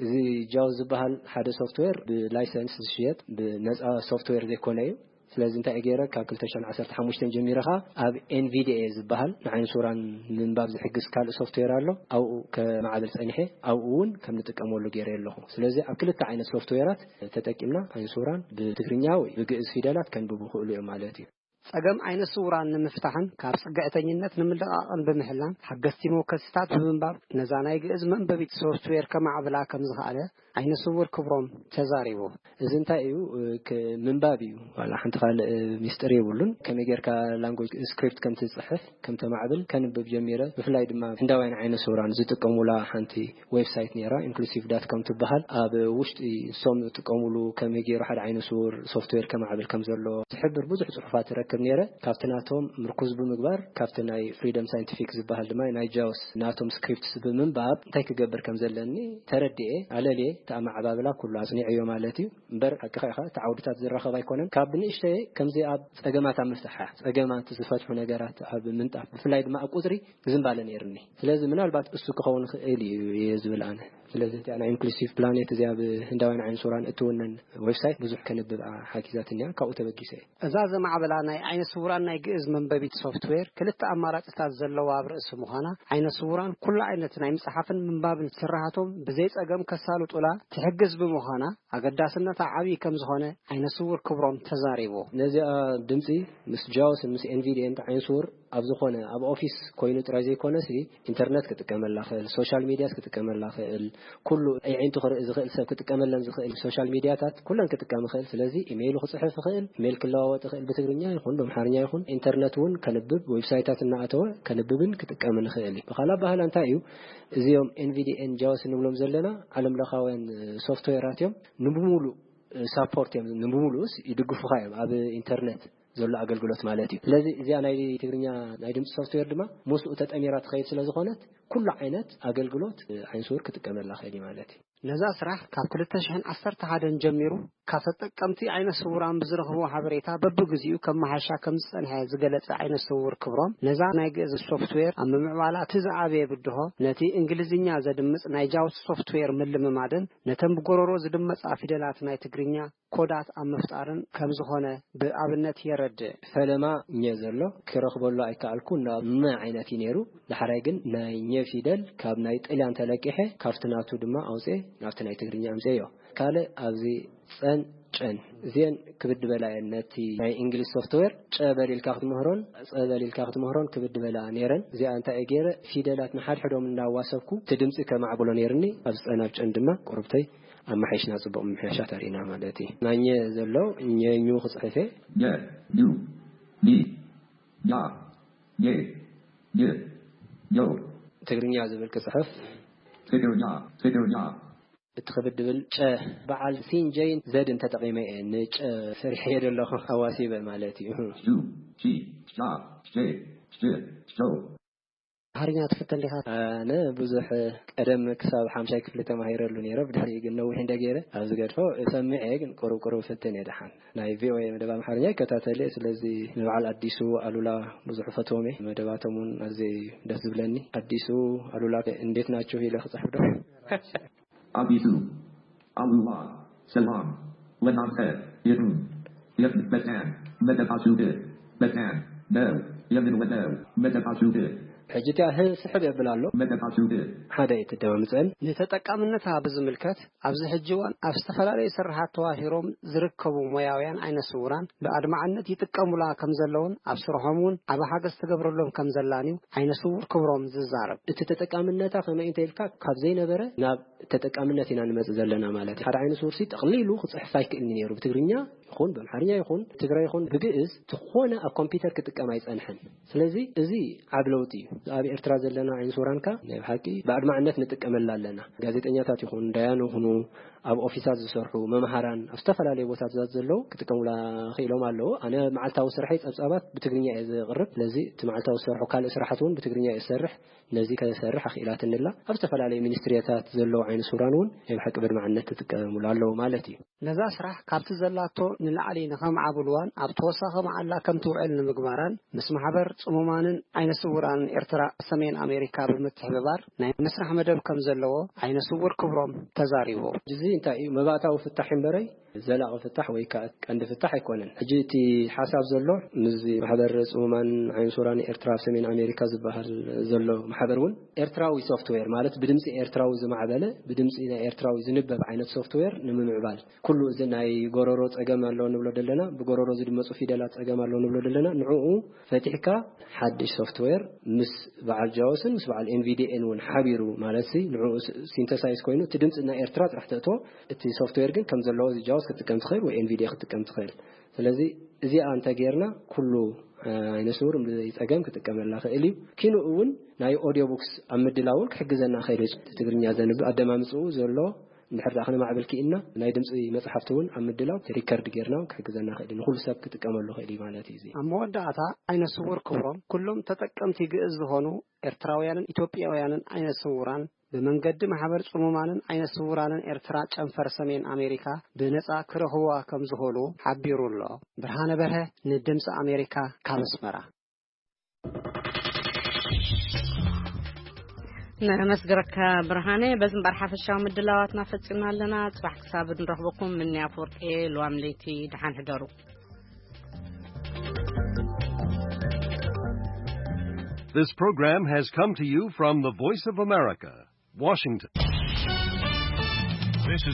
እዚ ጃውስ ዝበሃል ሓደ ሶፍትዌር ብላይሰንስ ዝሽየጥ ብነጻ ሶፍትዌር ዘይኮነ እዩ። ስለዚ እንታይ ገይረ ካብ ክልተ ሽሕን ዓሰርተ ሓሙሽተን ጀሚረ ኸኣ ኣብ ኤንቪዲኤ ዝበሃል ንዓይነ ስውራን ንምንባብ ዝሕግዝ ካልእ ሶፍትዌር ኣሎ። ኣብኡ ከማዕብል ጸኒሐ ኣብኡ እውን ከም ንጥቀመሉ ገይረ ኣለኹ። ስለዚ ኣብ ክልተ ዓይነት ሶፍትዌራት ተጠቂምና ዓይነ ስውራን ብትግርኛ ወይ ብግእዝ ፊደላት ከንብቡ ይኽእሉ እዮም ማለት እዩ። ጸገም ዓይነ ስውራን ንምፍታሕን ካብ ጽግዕተኝነት ንምልቓቕን ብምሕላን ሓገዝቲ መወከሲታት ብምንባብ ነዛ ናይ ግእዝ መንበቢት ሶፍትዌር ከማዕብላ ከም ዝኸኣለ ዓይነ ስውር ክብሮም ተዛሪቡ። እዚ እንታይ እዩ? ክ-፣ ምንባብ እዩ። ዋላ ሓንቲ ካልእ ሚስጥር የብሉን። ከመይ ጌርካ ላንጉጅ ስክሪፕት ከም ትጽሕፍ፣ ከም ተማዕብል ከንብብ ጀሚረ። ብፍላይ ድማ ህንዳውያን ዓይነ ስውራን ዝጥቀሙላ ሓንቲ ዌብሳይት ነይራ፣ ኢንክሉሲቭ ዳት ኮም ትበሃል። ኣብ ውሽጢ ንሶም ዝጥቀሙሉ ከመይ ገይሩ ሓደ ዓይነ ስውር ሶፍትዌር ከማዕብል ከም ዘሎ ዝሕብር ብዙሕ ጽሑፋት ትረክብ። ነረ። ካብቲ ናቶም ምርኩዝ ብምግባር ካብቲ ናይ ፍሪደም ሳይንቲፊክ ዝበሃል ድማ ናይ ጃውስ ናቶም ስክሪፕትስ ብምንባብ እንታይ ክገብር ከም ዘለኒ ተረድኤ። ኣለልየ እቲ ኣመዓባብላ ኩሉ ኣጽኒዐዮ ማለት እዩ። እምበር ሓቅኻ ኢኻ፣ እቲ ዓውድታት ዝራኸብ ኣይኮነን። ካብ ብንእሽተየ ከምዚ ኣብ ጸገማት ኣብ ምፍታሕ፣ ጸገማት ዝፈትሑ ነገራት ኣብ ምንጣፍ፣ ብፍላይ ድማ ኣብ ቁጽሪ ዝንባለ ነይርኒ። ስለዚ ምናልባት እሱ ክኸውን ይኽእል እዩ እየ ዝብል ኣነ። ስለዚ እዚኣ ናይ ኢንክሉሲቭ ፕላኔት እዚኣ ብህንዳውያን ዓይነ ስውራን እትውነን ዌብሳይት ብዙሕ ከንብብ ሓጊዛትኒ እያ። ካብኡ ተበጊሰ እየ። እዛ ዘማዕበላ ናይ ዓይነ ስውራን ናይ ግእዝ መንበቢት ሶፍትዌር ክልተ ኣማራጺታት ዘለዋ ኣብ ርእሲ ምዃና፣ ዓይነ ስውራን ኩሉ ዓይነት ናይ ምጽሓፍን ምንባብን ስራሓቶም ብዘይ ጸገም ከሳልጡላ ትሕግዝ ብምዃና፣ ኣገዳስነታ ዓብዪ ከም ዝኾነ ዓይነ ስውር ክብሮም ተዛሪቡ። ነዚኣ ድምጺ ምስ ጃውስን ምስ ኤንቪዲኤን ዓይነ ስውር ኣብ ዝኾነ ኣብ ኦፊስ ኮይኑ ጥራይ ዘይኮነሲ፣ ኢንተርነት ክጥቀመላ ክእል፣ ሶሻል ሚድያስ ክጥቀመላ ክእል፣ ኩሉ ኣዒንቱ ክርኢ ዝኽእል ሰብ ክጥቀመለን ዝኽእል ሶሻል ሚድያታት ኩለን ክጥቀም ይኽእል። ስለዚ ኢሜይሉ ክጽሕፍ ይኽእል፣ ኢሜይል ክለዋወጥ ይኽእል፣ ብትግርኛ ይኹን ብኣምሓርኛ ይኹን። ኢንተርነት እውን ከንብብ፣ ዌብሳይታት እናኣተወ ከንብብን ክጥቀምን ይኽእል እዩ። ብኻልእ ኣበሃህላ እንታይ እዩ፣ እዚኦም ኤንቪዲኤን ጃውስ እንብሎም ዘለና ዓለም ለኻውያን ሶፍትዌራት እዮም። ንብሙሉእ ሳፖርት እዮም፣ ንብሙሉእስ ይድግፉኻ እዮም ኣብ ኢንተርነት ዘሎ ኣገልግሎት ማለት እዩ። ስለዚ እዚኣ ናይ ትግርኛ ናይ ድምፂ ሶፍትዌር ድማ ምስኡ ተጠሚራ ትኸይድ ስለ ዝኾነት ኩሉ ዓይነት ኣገልግሎት ዓይነ ስውር ክጥቀመላ ክእል እዩ ማለት እዩ። ነዛ ስራሕ ካብ ክልተ ሽሕን ዓሰርተ ሓደን ጀሚሩ ካብ ተጠቀምቲ ዓይነ ስውራን ብዝረኽቦ ሓበሬታ በብግዚኡ ከመሓሻ ከም ዝጸንሐ ዝገለጸ ዓይነ ስውር ክብሮም፣ ነዛ ናይ ግእዝ ሶፍትዌር ኣብ ምምዕባላ እቲ ዝዓበየ ብድሆ ነቲ እንግሊዝኛ ዘድምጽ ናይ ጃውስ ሶፍትዌር ምልምማድን ነተን ብጎረሮ ዝድመጻ ፊደላት ናይ ትግርኛ ኮዳት ኣብ ምፍጣርን ከም ዝኾነ ብኣብነት የረድእ። ፈለማ ኘ ዘሎ ክረኽበሉ ኣይከኣልኩ፣ ናብ መ ዓይነት እዩ ነይሩ። ዳሕራይ ግን ናይ ኘ ፊደል ካብ ናይ ጥልያን ተለቂሐ ካብቲ ናቱ ድማ ኣውፅኤ ናብቲ ናይ ትግርኛ ኣምፅኤዮ። ካልእ ኣብዚ ጸን ጨን እዚአን ክብድ በላ እየን። ነቲ ናይ እንግሊዝ ሶፍትዌር ጨ በል ኢልካ ክትምህሮን ጸ በል ኢልካ ክትምህሮን ክብድ በላ ነይረን። እዚኣ እንታይ እየ ገይረ፣ ፊደላት ንሓድሕዶም እናዋሰብኩ እቲ ድምፂ ከማዕብሎ ነይርኒ። ኣብ ጸን ኣብ ጨን ድማ ቁርብተይ ኣመሓይሽና ጽቡቕ ምምሕያሻት ኣርእና ማለት እዩ። ናኘ ዘሎ ኘ ኙ ክጽሕፍ እየ። ኘ፣ ኙ፣ ኒ፣ ኛ፣ ኘ፣ ኘ፣ ኞ። ትግርኛ ዝብል ክጽሕፍ። ትግርኛ፣ ትግርኛ። እቲ ክብድ ድብል ጨ በዓል ሲን ጀይን ዘድን ተጠቒመ እየ ንጨ ሰሪሐ እየ ዘለኹ ኣዋሲበ ማለት እዩ። ዩ፣ ጂ፣ ሻ፣ ሼ፣ ሽ፣ ሾ። ኣምሓርኛ ትፍትን ዲኻ? ኣነ ብዙሕ ቀደም ክሳብ ሓምሻይ ክፍሊ ተማሂረሉ ነይረ። ብድሕሪኡ ግን ነዊሕ እንደ ገይረ ኣብ ዝገድፎ እሰምዕ እየ፣ ግን ቁሩብ ቁሩብ ፍትን እየ። ደሓን ናይ ቪኦኤ መደብ ኣምሓርኛ ይከታተል እየ። ስለዚ ንበዓል ኣዲሱ ኣሉላ ብዙሕ ፈትዎም እየ። መደባቶም እውን ኣዝየ እዩ ደስ ዝብለኒ። ኣዲሱ ኣሉላ እንዴት ናችሁ ኢለ ክጽሕፍ ዶ? ኣዲሱ ኣሉላ ሰላም ለናንተ ይሁን። የት በታን መደባችሁ በታን ነው የምንወደው መደባችሁ። ሕጂ እቲኣ ህ-፣ ስሕብ የብል ኣሎ። መደባችሁ ሓደ ኣይትደማምፀን። ንተጠቃምነታ ብዝምልከት ኣብዚ ሕጂ እዋን ኣብ ዝተፈላለዩ ስርሓት ተዋፊሮም ዝርከቡ ሞያውያን ዓይነ ስውራን ብኣድማዕነት ይጥቀሙላ ከም ዘለውን ኣብ ስርሖም እውን ዓቢ ሓገዝ ትገብረሎም ከም ዘላን እዩ ዓይነ ስውር ክብሮም ዝዛረብ። እቲ ተጠቃምነታ ከመይ እንተ ኢልካ ካብ ዘይነበረ ናብ ተጠቃምነት ኢና ንመጽእ ዘለና ማለት እዩ። ሓደ ዓይነ ስውር ሲ ጠቕሊሉ ክጽሕፍ ኣይክእልን ነይሩ። ብትግርኛ ይኹን ብኣምሓርኛ ይኹን ትግራይ ይኹን ብግእዝ ዝኾነ ኣብ ኮምፒውተር ክጥቀም ኣይጸንሐን። ስለዚ እዚ ዓቢ ለውጢ እዩ። ኣብ ኤርትራ ዘለና ዓይነ ስውራንካ ናይ ብሓቂ ብኣድማዕነት ንጥቀመላ ኣለና። ጋዜጠኛታት ይኹን ዳያኑ ይኹኑ ኣብ ኦፊሳት ዝሰርሑ መምሃራን ኣብ ዝተፈላለዩ ቦታታት ዘለዉ ክጥቀሙላ ክኢሎም ኣለዉ። ኣነ መዓልታዊ ስርሐይ ጸብጻባት ብትግርኛ እየ ዘቕርብ። ስለዚ እቲ መዓልታዊ ዝሰርሑ ካልእ ስራሓት እውን ብትግርኛ እየ ዝሰርሕ። ነዚ ከሰርሕ ኣኽኢላትኒ ኣላ። ኣብ ዝተፈላለዩ ሚኒስትሪታት ዘለዉ ዓይነ ስውራን እውን ናይ ብሓቂ ብኣድማዕነት ክጥቀሙላ ኣለዉ ማለት እዩ። ነዛ ስራሕ ካብቲ ዘላቶ ንላዕሊ ንኸምዓብልዋን ኣብ ተወሳኺ መዓላ ከም ትውዕል ንምግባራን ምስ ማሕበር ጽሙማንን ዓይነ ስውራንን ኤርትራ ሰሜን ኣሜሪካ ብምትሕብባር ናይ ምስራሕ መደብ ከም ዘለዎ ዓይነ ስውር ክብሮም ተዛሪቡ። እዚ እንታይ እዩ? መባእታዊ ፍታሕ እምበረይ ዘላቒ ፍታሕ ወይ ከዓ ቀንዲ ፍታሕ ኣይኮነን። ሕጂ እቲ ሓሳብ ዘሎ ምስዚ ማሕበር ጽሙማን ዓይነ ስውራን ኤርትራ ኣብ ሰሜን ኣሜሪካ ዝበሃል ዘሎ ማሕበር እውን ኤርትራዊ ሶፍትዌር ማለት ብድምፂ ኤርትራዊ ዝማዕበለ ብድምፂ ናይ ኤርትራዊ ዝንበብ ዓይነት ሶፍትዌር ንምምዕባል ኩሉ እዚ ናይ ጎረሮ ጸገም ኣሎ ንብሎ ዘለና፣ ብጎረሮ ዝድመጹ ፊደላት ጸገም ኣሎ ንብሎ ዘለና፣ ንዕኡ ፈቲሕካ ሓድሽ ሶፍትዌር ምስ በዓል ጃውስን ምስ በዓል ኤንቪዲኤን እውን ሓቢሩ ማለት ሲ ንዕኡ ስ-፣ ሲንተሳይዝ ኮይኑ እቲ ድምፂ ናይ ኤርትራ ጥራሕ ተእትዎ፣ እቲ ሶፍትዌር ግን ከም ዘለዎ እዚ ጃውስ ክትጥቀም ትኽእል ወይ ኤንቪዲኤ ክትጥቀም ትኽእል። ስለዚ እዚኣ እንተ ጌርና ኩሉ፣ እ፣ ዓይነ ስውር ብዘይ ጸገም ክጥቀመላ ክእል እዩ። ኪንኡ እውን ናይ ኦዲዮ ቡክስ ኣብ ምድላውን ክሕግዘና ክእል እዩ። ትግርኛ ዘንብብ ኣደማምፅኡ ዘሎ እንድሕር ደኣ ክነማዕብል ክኢልና፣ ናይ ድምፂ መፅሓፍቲ እውን ኣብ ምድላው ሪከርድ ጌርና ክሕግዘና ክእል እዩ። ንኩሉ ሰብ ክጥቀመሉ ክእል እዩ ማለት እዩ። እዚ ኣብ መወዳእታ፣ ዓይነ ስውር ክብሮም፣ ኩሎም ተጠቀምቲ ግእዝ ዝኾኑ ኤርትራውያንን ኢትዮጵያውያንን ዓይነ ስውራን ብመንገዲ ማሕበር ጽሙማንን ዓይነ ስውራንን ኤርትራ ጨንፈር ሰሜን ኣሜሪካ ብነጻ ክረኽብዋ ከም ዝኽእሉ ሓቢሩ ኣሎ። ብርሃነ በርሀ ንድምፂ ኣሜሪካ ካብ ኣስመራ። ነመስግረካ ብርሃነ። በዚ እምበር ሓፈሻዊ ምድላዋትና ፈጺምና ኣለና። ጽባሕ ክሳብ ንረኽበኩም ምንያ ፍወርቄ። ልዋም ለይቲ ደሓን ሕደሩ። This program has come to you from the Voice of America, Washington. This is